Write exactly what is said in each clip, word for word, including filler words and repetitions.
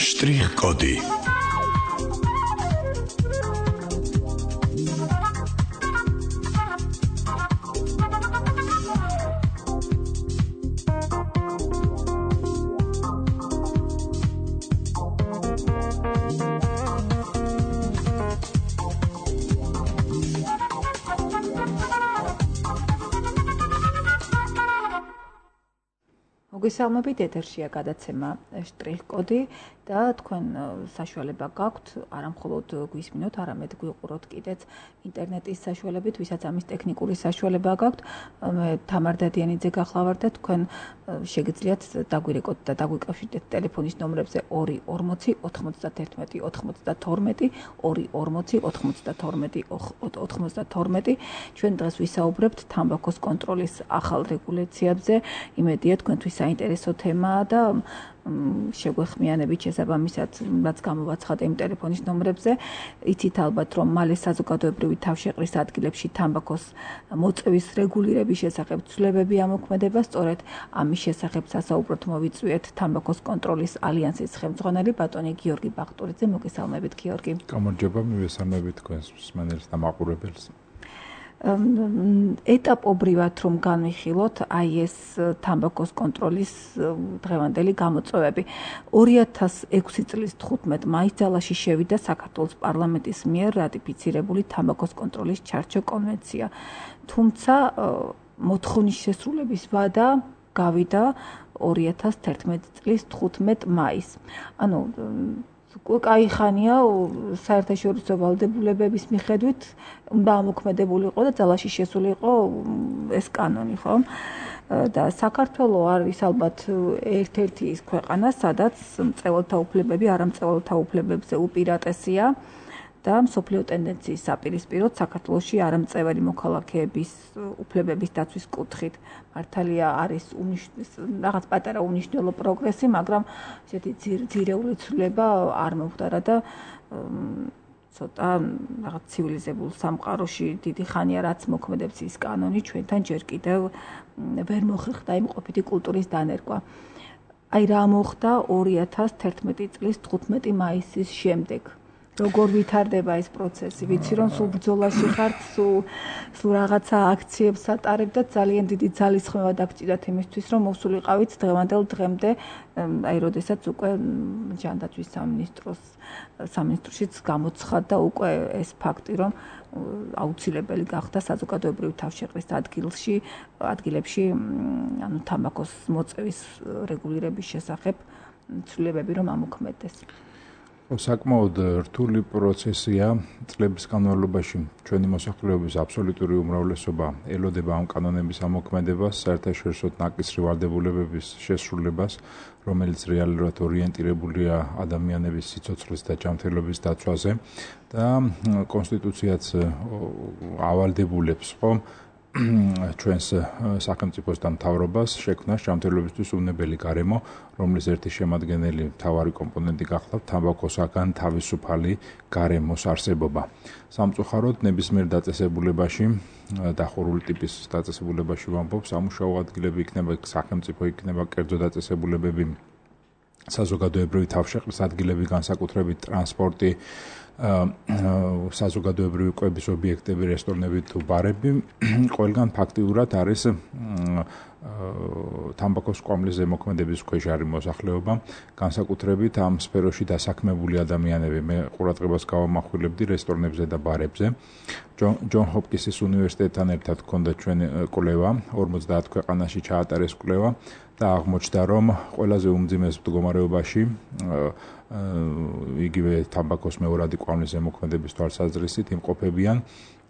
Штрих-коды. მოგესალმებით, ეთერშია გადაცემა შტრიხ-კოდი და თქვენ საშუალება გაქვთ არა მხოლოდ გვისმინოთ, არამედ გვიყუროთ კიდეც ინტერნეტის საშუალებით, ვისაც ამის ტექნიკური საშუალება გაქვთ. მე თამარ დადიანიძე გახლავართ და თქვენ შეგიძლიათ დაგვირეკოთ და დაგვიკავშირდეთ ტელეფონის ნომრებზე ორი ორმოცი ოთხმოცდათერთმეტი ოცდათორმეტი ორი ორმოცი ოთხმოცდათორმეტი ოთხმოცდათორმეტი. ჩვენ დღეს ვისაუბრებთ თამბაქოს კონტროლის ახალ რეგულაციებზე. იმედია თქვენთვის საინტერესო თემაა და შეგვეხმიანებით შესაბამისად, რაც გამოვაცხადე იმ ტელეფონის ნომრებზე. იცით ალბათ, რომ მალე საზოგადოებრივი თავშეყრის ადგილებში თამბაქოს მოწევის რეგულირების შესახებ ცვლილებები ამოქმედება. სწორედ ამის შესახებ სასაუბროდ მოვიწვიეთ თამბაქოს კონტროლის ალიანსის ხელმძღვანელი ბატონი გიორგი ბახტურიძე. მოგესალმებით, გიორგი. გამარჯობა, მივესალმებით თქვენს მსმენელს და მაყურებელს. ეტაპობრივად რომ განვიხილოთ აი ეს თამბაქოს კონტროლის დღევანდელი გამოწვევები. ორი ათას ექვსი წლის თხუთმეტ მაისს ძალაში შევიდა საქართველოს პარლამენტის მიერ რატიფიცირებული თამბაქოს კონტროლის ჩარჩო კონვენცია. თუმცა მოთხოვნის შესრულების ვადა გავიდა ორი ათას თერთმეტი წლის თხუთმეტ მაისს. ანუ კაი ხანია საერთაშორისო ვალდებულებების მიხედვით უნდა ამოქმედებული იყო და ძალაში შესული იყო ეს კანონი, ხო? და საქართველო არის ალბათ ერთ-ერთი ის ქვეყანა, სადაც მწვერვალთა უფლებები არამწვერვალთა უფლებებზე უპირატესია და მსოფლიო ტენდენციის საპირისპიროდ საქართველოში არამწევრი მოქალაქეების უფლებების დაცვის კუთხით მართალია არის რაღაც პატარა უნიშნელო პროგრესი, მაგრამ ესეთი ძირეული ცვლილება არ მომხდარა და ცოტა რაღაც ცივილიზებულ სამყაროში დიდი ხანია რაც მოქმედებს ის კანონი, ჩვენთან ჯერ კიდევ ვერ მოხერხდა იმყოფითი კულტურის დანერგვა. აი რა მოხდა ორი ათას თერთმეტი წლის თხუთმეტი მაისის შემდეგ. როგორ ვითარდება ეს პროცესი? ვიცი რომ სულ ბრძოლაში ხართ, სულ სულ რაღაცა აქციებს ატარებთ და ძალიან დიდი ძალისხმევა დაგჭირდათ იმისთვის, რომ მოსულიყავით დღევანდელ დღემდე, აი როდესაც უკვე ჯანდაცვის სამინისტროს სამინისტროშიც გამოცხადდა უკვე ეს ფაქტი, რომ აუცილებელი გახდა საზოგადოებრივი თავშეყრის ადგილში, ადგილებში, ანუ თამბაქოს მოწევის რეგულირების შესახებ ცვლილებები რომ ამოქმედდეს. საკმაოდ რთული პროცესია. წლების განმავლობაში ჩვენი მოსახლეობის აბსოლუტური უმრავლესობა ელოდება ამ კანონების ამოქმედებას, საერთაშორისო ნაკისრი ვალდებულებების შესრულებას, რომელიც რეალურად ორიენტირებულია ადამიანების სიცოცხლის და ჯანმრთელობის დაცვაზე და კონსტიტუციაც ავალდებულებს ხომ ჩვენს სახელმწიფოს და მთავრობას შექმნას ჯანმრთელობისთვის უნებელი გარემო, რომლის ერთი შემადგენელი მთავარი კომპონენტი გახლავთ თამბაქოსაგან თავისუფალი გარემოს არსებობა. სამწუხაროდ ნებისმიერ დაწესებულებაში, დახურული ტიპის დაწესებულებაში ვამბობ, სამუშაო ადგილები იქნება, სახელმწიფო იქნება, კერძო დაწესებულებები, საზოგადოებრივი თავშეყრის ადგილები, განსაკუთრებით ტრანსპორტი, საზოგადოებრივი კვების ობიექტები, რესტორნები თუ ბარები, ყველგან ფაქტიურად არის თამბაქოს კვამლის ზემოქმედების ქვეშ არის მოსახლეობა, განსაკუთრებით ამ სფეროში დასაქმებული ადამიანები. მე ყურადღებას გავამახვილებდი რესტორნებზე და ბარებზე. ჯონ ჰოპკინსის უნივერსიტეტთან ერთად ჰქონდა ჩვენი კვლევა, ორმოცდაათ ქვეყანაში ჩაატარეს კვლევა და აღმოჩნდა, რომ ყველაზე უმძიმეს მდგომარეობაში იგივე თამბაქოს მეორადი კვამლის ზემოქმედების თვალსაზრისით იმყოფებიან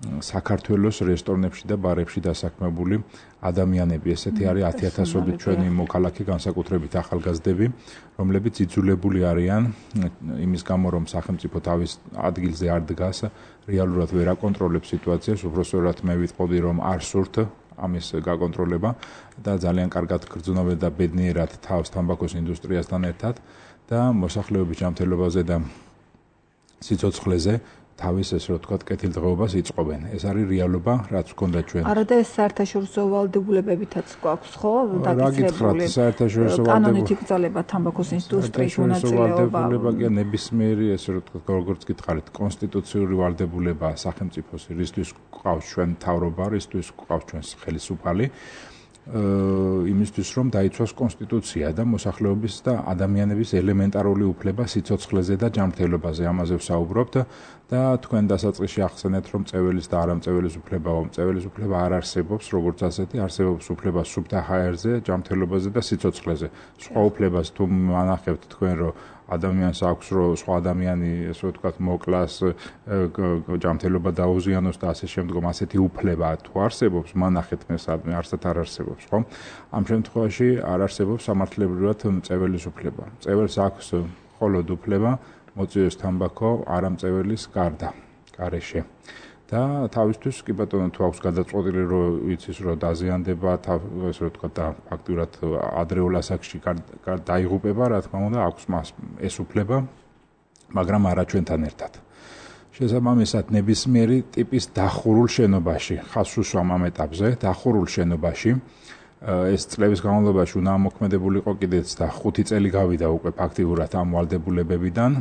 საქართველოს რესტორნებში და ბარებში დასაქმებული ადამიანები. ესეთი არის ათი ათასობით ჩვენი მოქალაქე, განსაკუთრებით ახალგაზრდები, რომლებიც იძულებული არიან იმის გამო, რომ სახელმწიფო თავის ადგილზე არ დგას, რეალურად ვერ აკონტროლებს სიტუაციას, უბრალოდ მე ვიტყოდი, რომ არ სურთ ამის გაკონტროლება და ძალიან კარგად გრძნობენ და ბედნიერად თავს თამბაქოს ინდუსტრიასთან ერთად და მოსახლეობის ჯანმრთელობაზე და სიცოცხლეზე თავის ესე რომ ვთქვათ, კეთილდღეობას იწყობენ. ეს არის რეალობა, რაც გქონდა ჩვენ. არა და ეს საერთაშორისო ვალდებულებებითაც გვაქვს, ხო? რა გითხრათ, საერთაშორისო ვალდებულება კანონით იკრძალება თამბაქოს ინდუსტრიის მონაწილეობა. ვალდებულება კი ნებისმიერი ესე რომ ვთქვათ, როგორც გითხარით, კონსტიტუციური ვალდებულება სახელმწიფოს, რისთვის გვყავს ჩვენ მთავრობა, რისთვის გვყავს ჩვენს ხელისუფალი. იმისთვის რომ დაიცვას კონსტიტუცია და მოსახლეობის და ადამიანების ელემენტარული უფლება სიცოცხლეზე და ჯანმრთელობაზე ამაზე ვსაუბრობთ და თქვენ დასაწყისში ახსენეთ რომ წეველის და არამწეველის უფლებაო წეველის უფლება არ არსებობს როგორც ასეთი არსებობს უფლება სუფთა ჰაერზე ჯანმრთელობაზე და სიცოცხლეზე სხვა უფლებას თუ მანახებთ თქვენ რომ ადამიანს აქვს რომ სხვა ადამიანი ესე ვთქვათ მოკლას ჯანმრთელობა დაუზიანოს და ასე შემდგომ ასეთი უფლება თუ არსებობს მანახეთ მე სადმე არსად არ არსებობს ხო ამ შემთხვევაში არ არსებობს სამართლებრივად წეველის უფლება წეველს აქვს მხოლოდ უფლება მოწიოს თამბაქო არამწეველის გარდა გარეშე და თავისთვის კი ბატონო თუ აქვს გადაწყვეტილი რომ ვიცის რომ დაზიანდება ესე ვთქვათ და ფაქტურად ადრეულ ასაკში დაიღუპება რა თქმა უნდა აქვს მას ეს უფლება მაგრამ არა ჩვენთან ერთად შესაბამისად ნებისმიერი ტიპის დახურულ შენობაში ხას უსვამ ამ ეტაპზე დახურულ შენობაში ეს წლების განმავლობაში უნდა მოქმედებულიყო კიდეც და ხუთი წელი გავიდა უკვე ფაქტიურად ამ ვალდებულებებიდან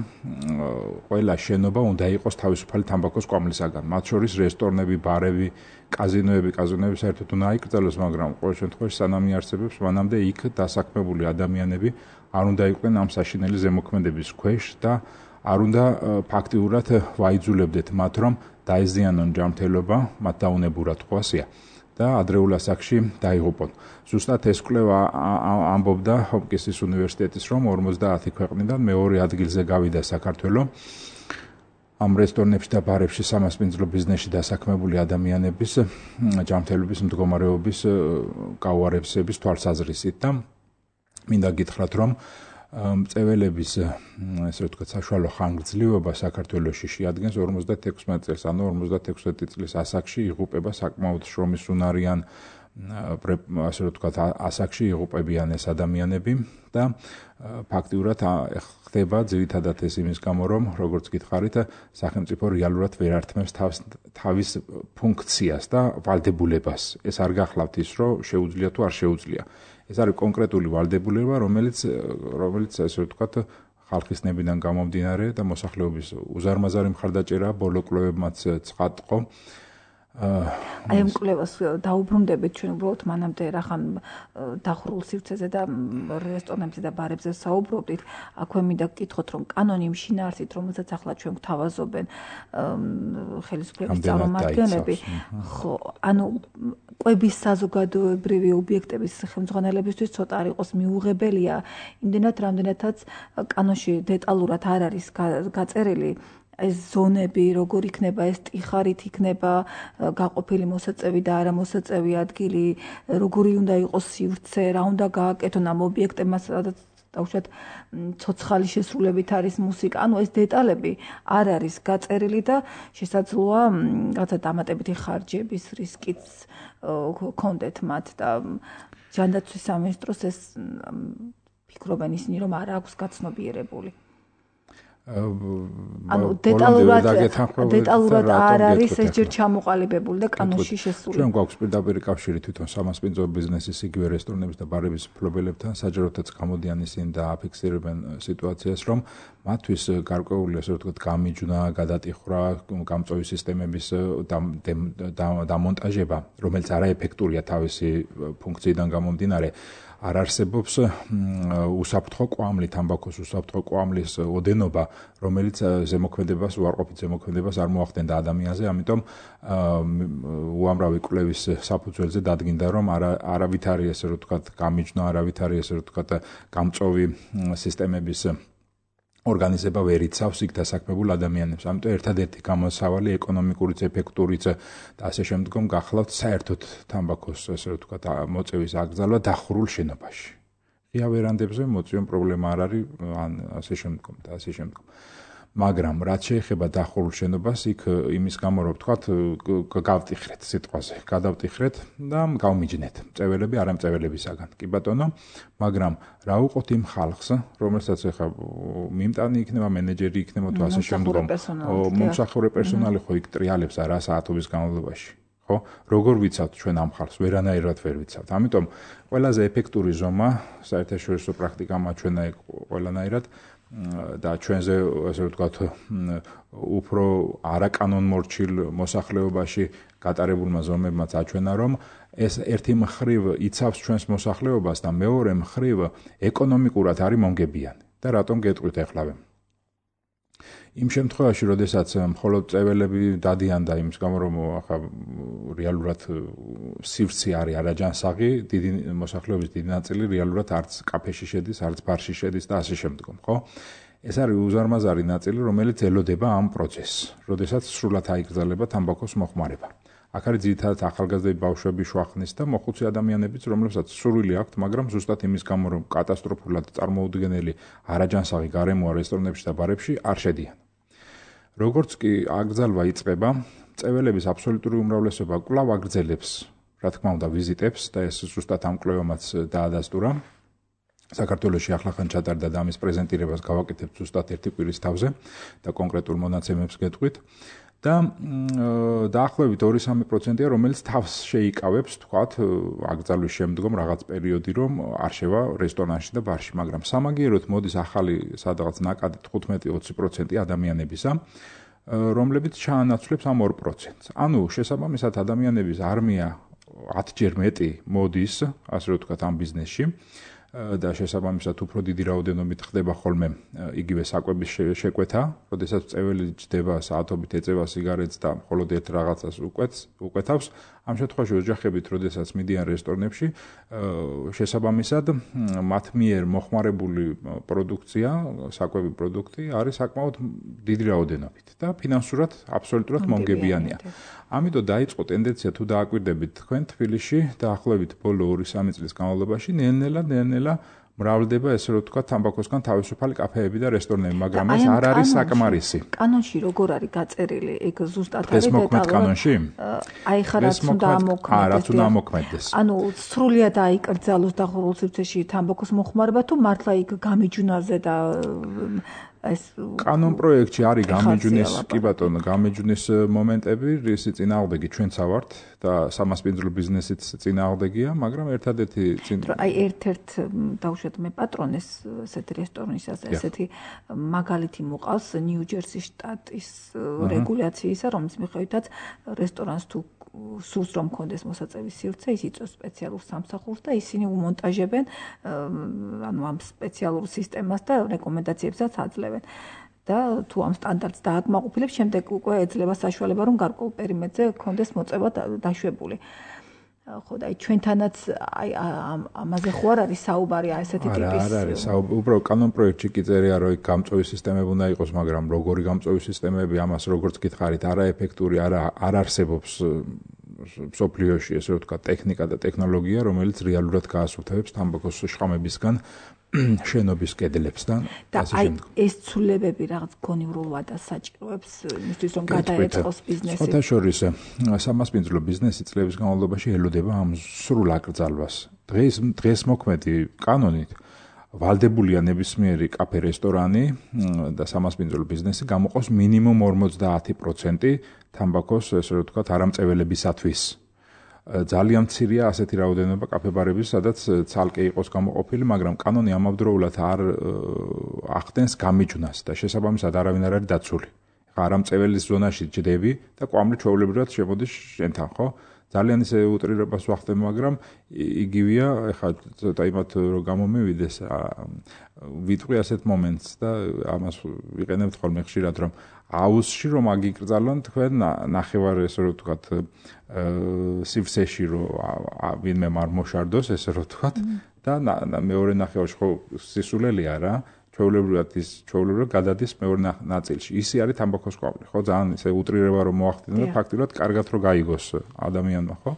ყველა შენობა უნდა იყოს თავისუფალი თამბაქოს კვამლისაგან მათ შორის რესტორნები, ბარები, კაზინოები, კაზინოები საერთოდ უნდა აიკრძალოს მაგრამ ყოველ შემთხვევაში სანამ იარსებებს მანამდე იქ დასაქმებული ადამიანები არ უნდა იყვნენ ამ საშინელი ზემოქმედების ქვეშ და არ უნდა ფაქტიურად ვაიძულებდეთ მათ რომ დაეზიანონ ჯანმრთელობა მათ დაუნებურად ხო ასეა და ადრეულ ასაკში დაიღუპონ. ზუსტად ეს კვლევა ამბობდა ჰოპკინსის უნივერსიტეტის რომ ორმოცდაათი ქვეყნიდან მეორე ადგილზე გავიდა საქართველო. ამ რესტორნებში და ბარებში სამასპინძლო ბიზნესში დასაქმებული ადამიანების ჯანმრთელობის მდგომარეობის გაუარესების თვალსაზრისით და მინდა გითხრათ რომ მწეველების ესე ვთქვათ საშუალო ხანგრძლივობა საქართველოში შეადგენს ორმოცდათექვსმეტ წელს, ანუ ორმოცდათექვსმეტი წლის ასაკში იღუპება საკმაოდ შრომის უნარიან ასე ვთქვათ ასაკში იღუპებიან ეს ადამიანები და ფაქტიურად ხდება ძირითადად ეს იმის გამო რომ როგორც გითხარით სახელმწიფო რეალურად ვერ ართმევს თავის ფუნქციას და ვალდებულებას. ეს არ გახლავთ ის რომ შეუძლია თუ არ შეუძლია. ეს არის კონკრეტული ვალდებულება, რომელიც რომელიც ასე ვთქვათ ხალხის ნებიდან გამომდინარე და მოსახლეობის უზარმაზარი მხარდაჭერა ბოლო კვლევებმაც ცხადყო. აი ამ კვლევას დაუბრუნდებით ჩვენ უბრალოდ მანამდე რახან დახურულ სივრცეზე და რესტორნებზე და ბარებზე საუბრობდით. აქვე მინდა გკითხოთ რომ კანონი იმ შინაარსით რომელსაც ახლა ჩვენ გვთავაზობენ ხელისუფლების წარმომადგენლები ხო ანუ კვების საზოგადოებრივი ობიექტების ხელმძღვანელებისთვის ცოტა არ იყოს მიუღებელია იმდენად რამდენადაც კანონში დეტალურად არ არის გაწერილი ეს ზონები როგორ იქნება ეს ტიხარით იქნება გაყოფილი მოსაწევი და არამოსაწევი ადგილი როგორი უნდა იყოს სივრცე რა უნდა გააკეთონ ამ ობიექტებმა სადაც დაუშვათ ცოცხალი შესრულებით არის მუსიკა ანუ ეს დეტალები არ არის გაწერილი და შესაძლოა რაღაცა დამატებითი ხარჯების რისკიც ქონდეთ მათ და ჯანდაცვის სამინისტროს ეს ფიქრობენ ისინი რომ არ აქვს გაცნობიერებული ანუ დეტალურად დეტალურად არ არის ეს ჯერ ჩამოყალიბებული და კანონში შესული. ჩვენ გვაქვს პირდაპირ კავშირი თვითონ სამასპინძლო ბიზნესის იგივე რესტორნების და ბარების მფლობელებთან საჯაროთაც გამოდიან ისინი და აფიქსირებენ სიტუაციას რომ მათთვის გარკვეული ასე ვთქვათ გამიჯვნა, გადატიხრა, გამწვევი სისტემების დამონტაჟება, რომელიც არაეფექტურია თავისი ფუნქციიდან გამომდინარე არ არსებობს უსაფრთხო კვამლი, თამბაქოს უსაფრთხო კვამლის ოდენობა, რომელიც ზემოქმედებას, უარყოფით ზემოქმედებას არ მოახდენდა ადამიანზე, ამიტომ უამრავი კვლევის საფუძველზე დადგინდა, რომ არავითარი ესე ვთქვათ გამიჯვნა, არავითარი ესე ვთქვათ გამწვევი სისტემების ორგანიზება ვერ იცავს იქ დასაქმებულ ადამიანებს. ამიტომ ერთადერთი გამოსავალი ეკონომიკურიც, ეფექტურიც და ასე შემდგომ გახლავთ საერთოდ თამბაქოს ასე ვთქვათ მოწევის აკრძალვა დახურულ შენობაში. ღია ვერანდებზე მოწვიონ პრობლემა არ არის, ან ასე შემდგომ და ასე შემდგომ. მაგრამ რაც შეეხება დახურულ შენობას, იქ იმის გამო რომ ვთქვათ, გავტიხრეთ სიტყვაზე, გადავტიხრეთ და გავმიჯნეთ წეველები არამწეველებისაგან. კი ბატონო, მაგრამ რა უყოთ იმ ხალხს, რომელსაც ეხა მიმტანი იქნება, მენეჯერი იქნება თუ ასე შემდგომ, მომსახურე პერსონალი ხო იქ ტრიალებს რა საათობის განმავლობაში. ხო, როგორ ვიცავთ ჩვენ ამ ხალხს, ვერანაირად ვერ ვიცავთ. ამიტომ ყველაზე ეფექტური ზომა საერთაშორისო პრაქტიკა მაჩვენა იქ ყველანაირად და ჩვენზე ასე ვთქვათ უფრო არაკანონმორჩილ მოსახლეობაში გატარებულმა ზომებმაც აჩვენა რომ ეს ერთი მხრივ იცავს ჩვენს მოსახლეობას და მეორე მხრივ ეკონომიკურად არის მომგებიანი და რატომ გეტყვით ახლავე იმ შემთხვევაში, როდესაც მხოლოდ წეველები დადიან და იმის გამო რომ ახლა რეალურად სივრცე არის არაჯანსაღი, დიდი მოსახლეობის დიდი ნაწილი რეალურად არც კაფეში შედის, არც ბარში შედის და ასე შემდგომ, ხო? ეს არის უზარმაზარი ნაწილი, რომელიც ელოდება ამ პროცესს, როდესაც სრულად აიგრძელება თამბაქოს მოხმარება. აქ არის ძირითადად ახალგაზრდები, ბავშვები, შუახნის და მოხუცი ადამიანებიც, რომლებსაც სურვილი აქვთ, მაგრამ ზუსტად იმის გამო, რომ კატასტროფულად წარმოუდგენელი არაჯანსაღი გარემოა რესტორნებში და ბარებში არ შედიან. როგორც კი აკრძალვა იწყება, წეველების აბსოლუტური უმრავლესობა კვლავ აგრძელებს, რა თქმა უნდა, ვიზიტებს და ეს ზუსტად ამ კვლევამაც დაადასტურა. საქართველოში ახლახან ჩატარდა და ამის პრეზენტირებას გავაკეთებთ ზუსტად ერთი კვირის თავზე და კონკრეტულ მონაცემებს გეტყვით. და დაახლოებით ორი სამი პროცენტია, რომელიც თავს შეიკავებს, თქვათ, აკრძალვის შემდგომ რაღაც პერიოდი, რომ არ შევა რესტორანში და ბარში, მაგრამ სამაგიეროდ მოდის ახალი სადღაც ნაკადი თხუთმეტი ოცი პროცენტი ადამიანებისა, რომლებიც ჩაანაცვლებს ამ ორ პროცენტს. ანუ შესაბამისად ადამიანების არმია ათჯერ მეტი მოდის, ასე რომ ვთქვათ, ამ ბიზნესში. და შესაბამისად უფრო დიდი რაოდენობით ხდება ხოლმე იგივე საკვების შეკვეთა, როდესაც წეველი ჯდება საათობით ეწევა სიგარეტს და მხოლოდ ერთ რაღაცას უკვეთს, უკვეთავს. ამ შემთხვევაში ოჯახებით, როდესაც მიდიან რესტორნებში, შესაბამისად მათ მიერ მოხმარებული პროდუქცია, საკვები პროდუქტი არის საკმაოდ დიდი რაოდენობით და ფინანსურად აბსოლუტურად მომგებიანია. ამიტომ დაიწყო ტენდენცია თუ დააკვირდებით თქვენ თბილისში დაახლოებით ბოლო ორი სამი წლის განმავლობაში ნელ-ნელა ნელ-ნელა მრავლდება ესე რომ თქვა თამბაქოსგან თავისუფალი კაფეები და რესტორნები, მაგრამ ეს არ არის საკმარისი. კანონში როგორ არის გაწერილი? ეგ ზუსტად არის დეტალურად კანონში? აი ხა რაც უნდა ამოქმედდეს. აა რაც უნდა ამოქმედდეს. ანუ სრულად აიკრძალოს დახურულ სივრცეში თამბაქოს მოხმარება თუ მართლა იქ გამიჯვნაზე და ეს კანონ პროექტში არის გამიჯვნის, კი ბატონო, გამიჯვნის მომენტები, რის წინააღმდეგი ჩვენც ავართ და სამასპინძლო ბიზნესიც წინააღმდეგია, მაგრამ ერთადერთი წინ აი ერთ-ერთ დავუშვათ მე პატრონეს ესეთი რესტორნისას ესეთი მაგალითი მოყავს ნიუ-ჯერსის შტატის რეგულაციისა, რომლის მიხედვითაც რესტორანს თუ სურს რომ კონდეს მოსაწევის სივრცე, ის იწვევს სპეციალურ სამსახურს და ისინი უმონტაჟებენ ანუ ამ სპეციალურ სისტემას და რეკომენდაციებსაც აძლევენ. და თუ ამ სტანდარტს დააკმაყოფილებს, შემდეგ უკვე ეძლევა საშუალება რომ გარკვეულ პერიმეტრზე კონდეს მოწევა დაშვებული. ხო და აი ჩვენთანაც აი ამაზე ხო არ არის საუბარი აი ესეთი ტიპის არ არის საუბარი უბრალოდ კანონ პროექტში კი წერია რომ გამწვევი სისტემები უნდა იყოს, მაგრამ როგორი გამწვევი სისტემები, ამას როგორც გითხარით, არაეფექტური, არა არ არსებობს მსოფლიოში, ესე რომ ვთქვა, ტექნიკა და ტექნოლოგია, რომელიც რეალურად გაასუფთავებს თამბაქოს შხამებისგან შენობის კედლებს და ასე შემდგომ. და აი ეს ცვლილებები რაღაც გონივრულ ვადას საჭიროებს იმისთვის რომ გადაეწყოს ბიზნესი. სხვათა შორის სამასპინძლო ბიზნესი წლების განმავლობაში ელოდება ამ სრულ აკრძალვას. დღეს დღეს მოქმედი კანონით ვალდებულია ნებისმიერი კაფე რესტორანი და სამასპინძლო ბიზნესი გამოყოს მინიმუმ ორმოცდაათი პროცენტი თამბაქოს, ესე რომ ვთქვათ, არამწეველებისათვის. ძალიან მცირეა ასეთი რაოდენობა კაფე-ბარების, სადაც ცალკე იყოს გამოყოფილი, მაგრამ კანონი ამავდროულად არ ახდენს გამიჯვნას და შესაბამისად არავინ არ არის დაცული. ხა არამწეველის ზონაში ჯდები და კვამლი ჩვეულებრივად შემოდის შენთან, ხო? ძალიან ისე უტრირებას ვახდებ, მაგრამ იგივეა, ეხლა ცოტა იმათ რომ გამომივიდეს, ვიტყვი ასეთ მომენტს და ამას ვიყენებთ ხოლმე ხშირად, რომ აუზში რომ აგიკრძალონ თქვენ ნახევარ ესე რომ ვთქვათ სივრცეში რომ ვინმე არ მოშარდოს, ესე რომ ვთქვათ და მეორე ნახევარში ხო სისულელია რა. ჩვეულებრივად ის ჩვეულებრივად გადადის მეორე ნაწილში. ისი არის თამბაქოს კვამლი, ხო? ძალიან ისე უტრირება რომ მოახდინო და ფაქტიურად კარგად რომ გაიგოს ადამიანმა, ხო?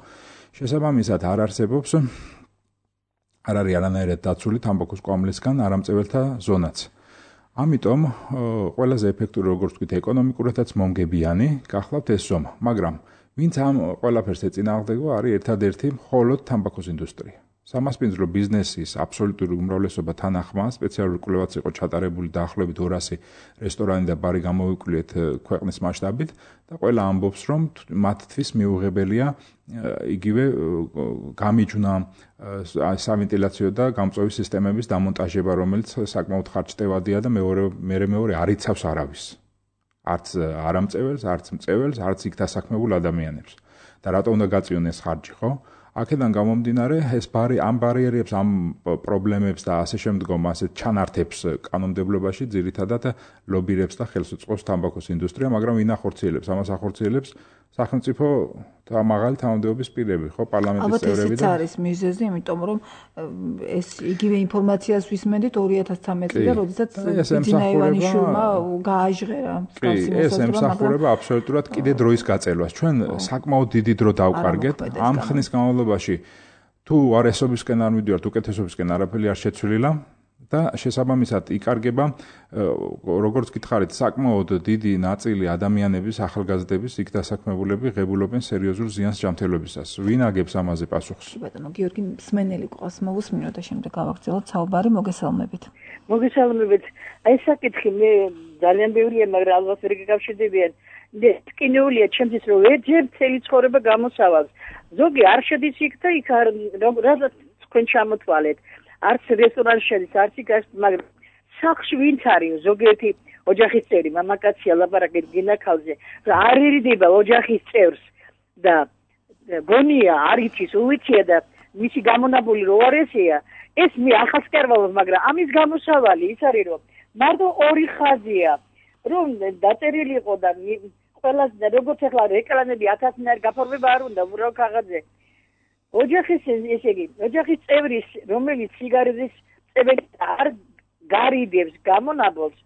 შესაბამისად არ არსებობს არ არის არანაირად დაცული თამბაქოს კვამლისგან არამწეველთა ზონაც. ამიტომ ყველაზე ეფექტური როგორც ვთქვით ეკონომიკურადაც მომგებიანი გახლავთ ეს ზომა, მაგრამ ვინც ამ ყველაფერს ეწინააღმდეგო არის ერთადერთი მხოლოდ თამბაქოს ინდუსტრია. სამასპინძლო ბიზნესის აბსოლუტური უმრავლესობა თან ახმა სპეციალური კვლევაც იყო ჩატარებული დაახლოებით ორასი რესტორანი და ბარი გამოვიკვლიეთ ქვეყნის მასშტაბით და ყველა ამბობს რომ მათთვის მიუღებელია იგივე გამიჯვნა სავენტილაციო და გამწვევის სისტემების დამონტაჟება, რომელიც საკმაოდ ხარჯწევადია და მეორე მეორე მეორე არ იცავს არავის. არც არამწეველს, არც მწეველს, არც იქ დასაქმებულ ადამიანებს. და რატო უნდა გაწიონ ეს ხარჯი, ხო? აქედან გამომდინარე, ეს ბარი ამ ბარიერებს, ამ პრობლემებს და ასე შემდგომ ასე ჩანართებს კანონმდებლობაში ძირითადად ლობირებს და ხელს უწყობს თამბაქოს ინდუსტრია, მაგრამ ვინ ახორციელებს? ამას ახორციელებს სახელმწიფო და მაღალი თანამდებობის პირები, ხო, პარლამენტის წევრები და ალბათ ეს არის მიზეზი, იმიტომ რომ ეს იგივე ინფორმაციას ვისმენდით ორი ათას ცხრამეტი წლიდან, როდესაც ბიძინა ივანიშვილმა გააჟღერა მსგავსი მოსაზრება, ეს ემსახურება აბსოლუტურად კიდე დროის გაწელვას. ჩვენ საკმაოდ დიდი დრო დავყარგეთ ამ ხნის განმავლობაში. თუ არესობისკენ არ მივიდივართ, უკეთესობისკენ არაფერი არ შეცვლილა და შესაბამისად იკარგება როგორც გითხარით საკმაოდ დიდი ნაწილი ადამიანების ახალგაზრდების იქ დასაქმებულები ღებულობენ სერიოზულ ზიანს ჯანმრთელობისას. ვინ აგებს ამაზე პასუხს? ბატონო გიორგი მსმენელი ყავს მოვუსმინო და შემდეგ გავაგრძელოთ საუბარი მოგესალმებით. მოგესალმებით. აი საკითხი მე ძალიან ბევრია, მაგრამ ალბათ ვერ გიკავშირდებიან. ტკინეულია ჩემთვის რომ ერთ წელი ცხოვრება გამოსავალს. ზოგი არ შედის იქ და იქ არ რადგან თქვენ ჩამოთვალეთ. არც რესტორანში შედის, არც იქ, მაგრამ სახლში ვინც არის ზოგიერთი ოჯახის წევრი, მამაკაცია ლაპარაკეთ გინაქალზე, არ ერიდება ოჯახის წევრს და გონია არ იცის, უიცია და მისი გამონაბული რო არ ესეა, ეს მე ახალს კარვალობ, მაგრამ ამის გამოსავალი ის არის რომ მარტო ორი ხაზია, რომ დაწერილი იყო და ყველას როგორც ახლა რეკლამები ათასნაირ გაფორმება არ უნდა უბრალოდ ქაღალდზე. ოჯახის ესე იგი, ოჯახის წევრის, რომელიც სიგარეტის წებელი არ გარიდებს გამონაბოლს,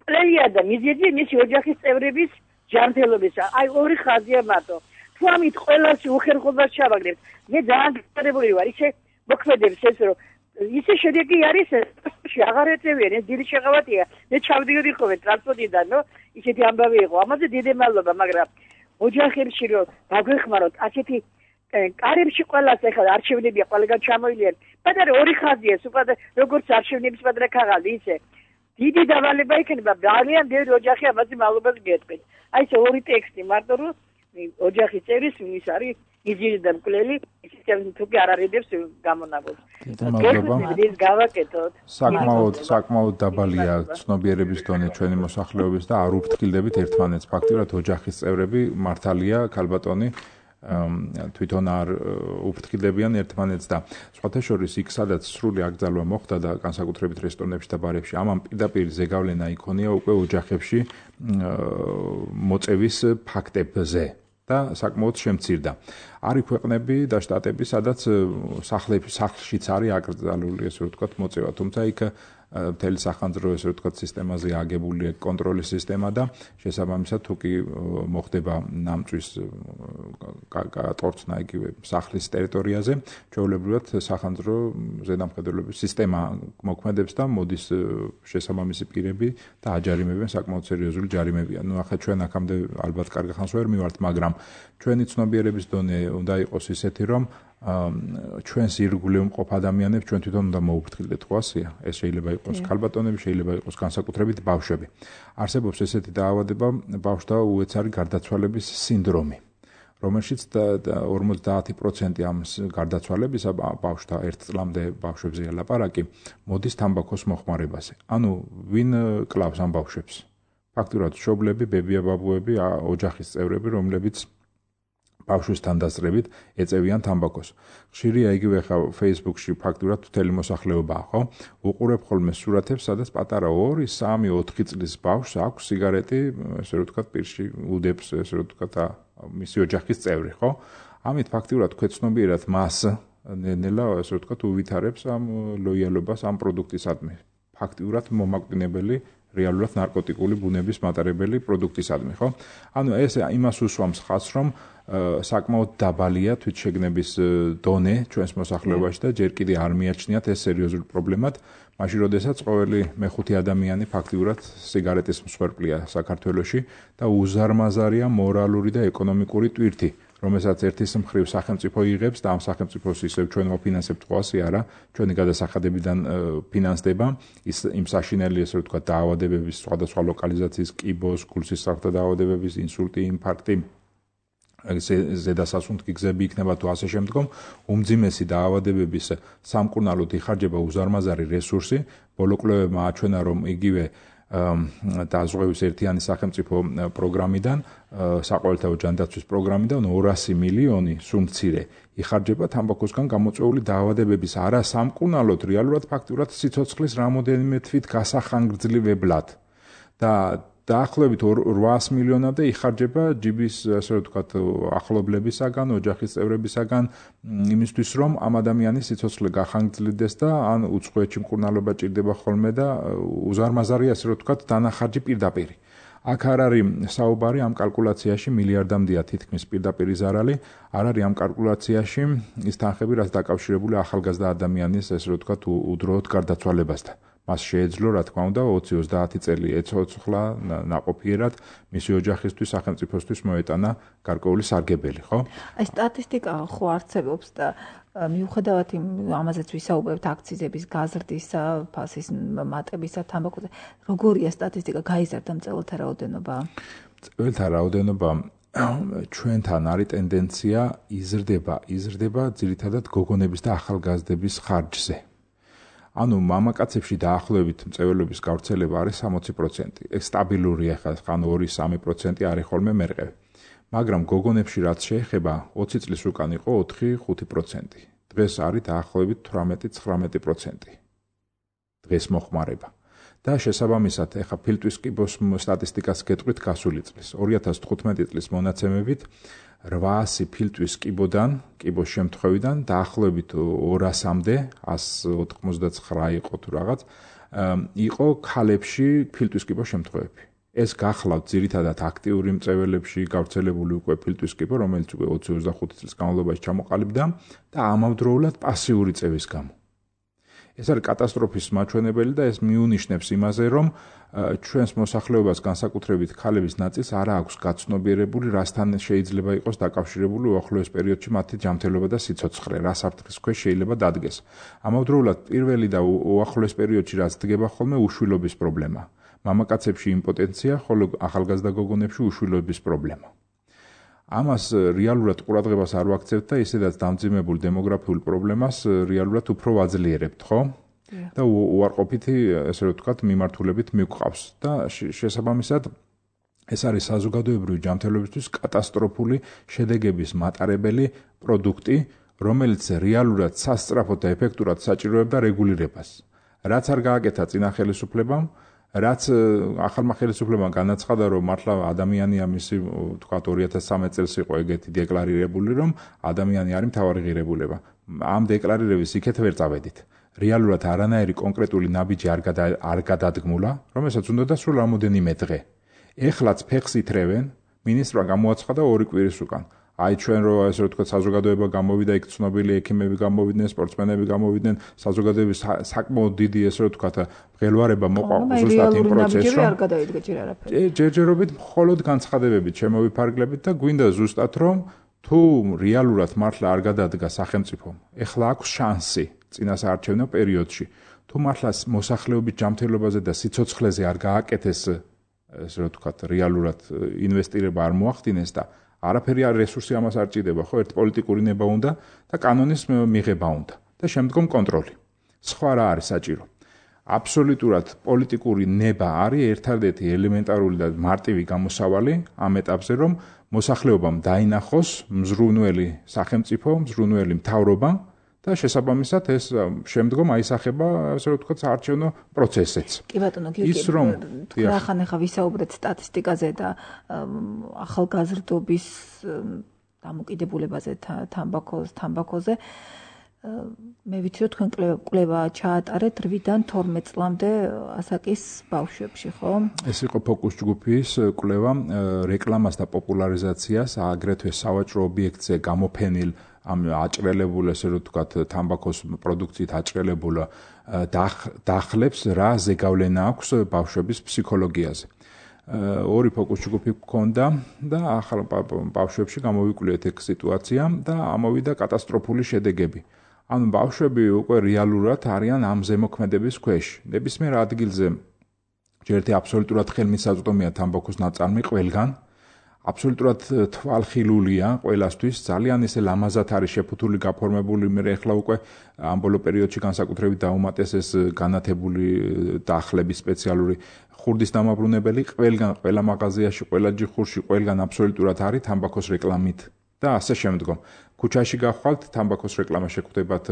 პლეია და მიზეზი მისი ოჯახის წევრების ჯანმრთელობისა. აი ორი ხაზია მარტო. თუ ამით ყველას უხერხობას ჩავაგდებთ, მე ძალიან გასაკვირებელი ვარ, ისე მოქმედებს ეს რომ ისე შედეგი არის ეს აღარ ეწევიან, ეს დიდი შეღავათია. მე ჩავდიოდი ხოლმე ტრანსპორტიდან, ნო, ისეთი ამბავი იყო. ამაზე დიდი მადლობა, მაგრამ ოჯახებში რომ დაგვეხმაროთ, ასეთი კარებში ყველას ახლა არჩევნებია ყველგან ჩამოილიან. პატარა ორი ხაზია, უბრალოდ როგორც არჩევნების პატარა ქაღალდი ისე. დიდი დავალება იქნება, ძალიან ბევრი ოჯახი ამაზე მადლობას გეტყვით. აი ეს ორი ტექსტი მარტო რომ ოჯახის წევრის ვის არის იზირი და მკვლელი, ისე თუ კი არ არიდებს გამონაბოლს. გეკეთეთ, გავაკეთოთ. საკმაოდ საკმაოდ დაბალია ცნობიერების დონე ჩვენი მოსახლეობის და არ უფრთხილდებით ერთმანეთს. ფაქტიურად ოჯახის წევრები მართალია ქალბატონი თვითონ არ უფრთხილებიან ერთმანეთს და სხვათა შორის იქ სადაც სრული აკრძალვა მოხდა და განსაკუთრებით რესტორნებში და ბარებში ამან პირდაპირ ზეგავლენა იქონია უკვე ოჯახებში მოწევის ფაქტებზე და საკმაოდ შემცირდა. არის ქვეყნები და შტატები, სადაც სახლებში სახლშიც არის აკრძალული ესე ვთქვათ მოწევა, თუმცა იქ მთელი სახანძრო ესე ვთქვათ სისტემაზე აგებულია კონტროლის სისტემა და შესაბამისად თუ კი მოხდება ნამწვის კატორცნა იგივე სახლის ტერიტორიაზე, ჩვეულებრივად სახანძრო ზედამხედველობის სისტემა მოქმედებს და მოდის შესაბამისი პირები და აჯარიმებენ საკმაოდ სერიოზული ჯარიმებია. ნუ ახლა ჩვენ აქამდე ალბათ კარგ ხანს ვერ მივართ, მაგრამ ჩვენი ცნობიერების დონე უნდა იყოს ისეთი, რომ ჩვენს ირგვლივ მყოფ ადამიანებს ჩვენ თვითონ უნდა მოუფრთხილდეთ, ხო ასეა? ეს შეიძლება იყოს ქალბატონები, შეიძლება იყოს განსაკუთრებით ბავშვები. არსებობს ესეთი დაავადება, ბავშვთა უეცარი გარდაცვალების სინდრომი, რომელშიც ორმოცდაათი პროცენტი ამ გარდაცვალებისა ბავშვთა ერთ წლამდე ბავშვებზეა ლაპარაკი, მოდის თამბაქოს მოხმარებაზე. ანუ ვინ კლავს ამ ბავშვებს? ფაქტურად მშობლები, ბებია-ბაბუები, ოჯახის წევრები, რომლებიც ბავშვისთან დასწრებით ეწევიან თამბაქოს. ხშირია იგივე ხა Facebook-ში ფაქტურად მთელი მოსახლეობაა, ხო? უყურებ ხოლმე სურათებს, სადაც პატარა ორი, სამი, ოთხი წლის ბავშვს აქვს სიგარეტი, ესე რომ ვთქვათ, პირში უდებს, ესე რომ ვთქვათ, მისი ოჯახის წევრი, ხო? ამით ფაქტურად ქვეცნობიერად მას ნელა, ესე რომ ვთქვათ, უვითარებს ამ ლოიალობას ამ პროდუქტისადმი. ფაქტურად მომაკვდინებელი რეალურად ნარკოტიკული ბუნების მატარებელი პროდუქტისადმი, ხო? ანუ ეს იმას უსვამს ხაზს, რომ საკმაოდ დაბალია თვითშეგნების დონე ჩვენს მოსახლეობაში და ჯერ კიდე არ მიაჩნიათ ეს სერიოზული პრობლემად, მაშინ როდესაც ყოველი მეხუთე ადამიანი ფაქტიურად სიგარეტის მსხვერპლია საქართველოში და უზარმაზარია მორალური და ეკონომიკური ტვირთი, რომელსაც ერთის მხრივ სახელმწიფო იღებს და ამ სახელმწიფოს ისევ ჩვენ ვაფინანსებთ ყოველსი არა, ჩვენი გადასახადებიდან ფინანსდება ის იმ საშინელი ესე ვთქვათ დაავადებების სხვადასხვა ლოკალიზაციის კიბოს, გულსისხლთა დაავადებების, ინსულტი, ინფარქტი ზედასასუნთქი გზები იქნება თუ ასე შემდგომ, უმძიმესი დაავადებების სამკურნალოდ იხარჯება უზარმაზარი რესურსი, ბოლო კვლევებმა აჩვენა, რომ იგივე დაზღვევის ერთიანი სახელმწიფო პროგრამიდან, საყოველთაო ჯანდაცვის პროგრამიდან ორასი მილიონი სულ მცირე იხარჯება თამბაქოსგან გამოწვეული დაავადებების არა სამკურნალოდ, რეალურად ფაქტურად სიცოცხლის რამოდენიმე თვით გასახანგრძლივებლად და დაახლოებით ორასი მილიონამდე იხარჯება ჯიბის ასე ვთქვათ ახლობლებისაგან, ოჯახის წევრებისაგან იმისთვის, რომ ამ ადამიანის სიცოცხლე გახანგრძლივდეს და ან უცხოეთში მკურნალობა ჭირდება ხოლმე და უზარმაზარია ასე ვთქვათ დანახარჯი პირდაპირ. აქ არ არის საუბარი ამ კალკულაციაში მილიარდამდეა თითქმის პირდაპირი ზარალი, არ არის ამ კალკულაციაში ის თანხები, რაც დაკავშირებული ახალგაზრდა ადამიანის ასე ვთქვათ უდროოდ გარდაცვალებასთან. მას შეეძლო, რა თქმა უნდა, ოცი ოცდაათი წელი ეცოცხლა ნაყოფიერად მისი ოჯახისთვის, სახელმწიფოსთვის მოეტანა გარკვეული სარგებელი, ხო? აი სტატისტიკა ხო არსებობს და მიუხედავად ამაზეც ვისაუბრებთ აქციზების გაზრდისა, ფასის მატებისა, თამბაქოზე, როგორია სტატისტიკა, გაიზარდა მწელთა რაოდენობა? მწელთა რაოდენობა ჩვენთან არის ტენდენცია იზრდება, იზრდება ძირითადად გოგონების და ახალგაზრდების ხარჯზე. ანუ მამაკაცებში დაახლოებით მწვერვალების გავრცელება არის სამოცი პროცენტი. ეს სტაბილურია ხა, ანუ ორი სამი პროცენტი არის ხოლმე მერყევი. მაგრამ გოგონებში რაც შეეხება, ოცი წლის უკან იყო ოთხი ხუთი პროცენტი. დღეს არის დაახლოებით თვრამეტი ცხრამეტი პროცენტი. დღეს მოხმარება. და შესაბამისად, ეხა ფილტვის კიბოს სტატისტიკას გეტყვით გასული წლის. ორი ათას თხუთმეტი წლის მონაცემებით რვაასი ფილტვის კიბოდან, კიბოს შემთხვევიდან დაახლოებით ორასამდე, ასი ოთხმოცდაცხრა იყო თუ რაღაც, იყო ქალებში ფილტვის კიბოს შემთხვევები. ეს გახლავთ ძირითადად აქტიური მწვერვალებში გავრცელებული უკვე ფილტვის კიბო, რომელიც უკვე ოცი ოცდახუთი წლის განმავლობაში ჩამოყალიბდა და ამავდროულად პასიური წევის გამო. ეს არის კატასტროფის მაჩვენებელი და ეს მიუნიშნებს იმაზე, რომ ჩვენს მოსახლეობას განსაკუთრებით ქალების ნაწილს არ აქვს გაცნობიერებული, რასთან შეიძლება იყოს დაკავშირებული უახლოეს პერიოდში მათი ჯანმრთელობა და სიცოცხლე, რა საფრთხის ქვეშ შეიძლება დადგეს. ამავდროულად პირველი და უახლოეს პერიოდში რაც დგება ხოლმე უშვილობის პრობლემა. მამაკაცებში იმპოტენცია, ხოლო ახალგაზრდა გოგონებში უშვილობის პრობლემა. ამას რეალურად ყურადღებას არ ვაქცევთ და ისედაც დამძიმებულ დემოგრაფიულ პრობლემას რეალურად უფრო ვაძლიერებთ, ხო? და უარყოფითი, ესე ვთქვათ, მიმართულებით მივყავს და შესაბამისად ეს არის საზოგადოებრივი ჯანმრთელობისთვის კატასტროფული შედეგების მატარებელი პროდუქტი, რომელიც რეალურად სასწრაფოდ და ეფექტურად საჭიროებდა რეგულირებას. რაც არ გააკეთა წინა ხელისუფლებამ, რაც ახალმა ხელისუფლებამ განაცხადა, რომ მართლა ადამიანია მისი, თქვათ ორი ათას სამი წელს იყო ეგეთი დეკლარირებული, რომ ადამიანი არის მთავარი ღირებულება. ამ დეკლარირების იქეთ ვერ წავედით. რეალურად არანაირი კონკრეტული ნაბიჯი არ არ გადადგმულა, რომელსაც უნდა სულ რამოდენიმე დღე. ეხლაც ფეხს ითრევენ, მინისტრმა გამოაცხადა ორი კვირის უკან. აი ჩვენ რო ესე ვთქვათ საზოგადოება გამოვიდა, იქ ცნობილი ექიმები გამოვიდნენ, სპორტსმენები გამოვიდნენ, საზოგადოების საკმაოდ დიდი ესე ვთქვათ ღელვარება მოყვა ზუსტად იმ პროცესში, რომ არ გადაიდგა ჯერ არაფერი. ჯერჯერობით მხოლოდ განცხადებებით შემოვიფარგლებით და გვინდა ზუსტად რომ თუ რეალურად მართლა არ გადადგა სახელმწიფომ, ეხლა აქვს შანსი წინასაარჩევნო პერიოდში, თუ მართლა მოსახლეობის ჯანმრთელობაზე და სიცოცხლეზე არ გააკეთეს ესე ვთქვათ რეალურად ინვესტირება არ მოახდინეს და არაფერი არ რესურსი ამას არ ჭირდება, ხო, ერთ პოლიტიკური ნება უნდა და კანონის მიღება უნდა და შემდგომ კონტროლი. სხვა რა არის საჭირო? აბსოლუტურად პოლიტიკური ნება არის ერთადერთი ელემენტარული და მარტივი გამოსავალი ამ ეტაპზე, რომ მოსახლეობამ დაინახოს მზრუნველი სახელმწიფო, მზრუნველი მთავრობა და შესაბამისად ეს შემდგომ აისახება, ასე ვთქვათ, საარჩევნო პროცესიც. კი ბატონო, კი რახან ახლა ვისაუბრეთ სტატისტიკაზე და ახალგაზრდობის დამოკიდებულებაზე თამბაქოს, თამბაქოზე. მე ვიცი რომ თქვენ კვლევა ჩაატარეთ რვიდან თორმეტ წლამდე ასაკის ბავშვებში, ხო? ეს იყო ფოკუს ჯგუფის კვლევა რეკლამას და პოპულარიზაციას აგრეთვე სავაჭრო ობიექტზე გამოფენილ ამ აჭრელებულ ესე რომ ვთქვათ თამბაქოს პროდუქციით აჭრელებულ დახლებს რა ზეგავლენა აქვს ბავშვების ფსიქოლოგიაზე. ორი ფოკუს ჯგუფი გქონდა და ახალ ბავშვებში გამოვიკვლიეთ ეგ სიტუაცია და ამოვიდა კატასტროფული შედეგები. ანუ ბავშვები უკვე რეალურად არიან ამ ზემოქმედების ქვეშ. ნებისმიერ ადგილზე ჯერტი აბსოლუტურად ხელმისაწვდომია თამბაქოს ნაწარმი ყველგან. აბსოლუტურად თვალხილულია ყველასთვის, ძალიან ისე ლამაზად არის შეფუთული, გაფორმებული, მე ახლა უკვე ამ ბოლო პერიოდში განსაკუთრებით დაუმატეს განათებული დახლები სპეციალური ხურდის დამაბრუნებელი ყველგან, ყველა მაღაზიაში, ყველა ჯიხურში, ყველგან აბსოლუტურად არის თამბაქოს რეკლამით და ასე შემდგომ. ქუჩაში გახვალთ, თამბაქოს რეკლამა შეგხვდებათ,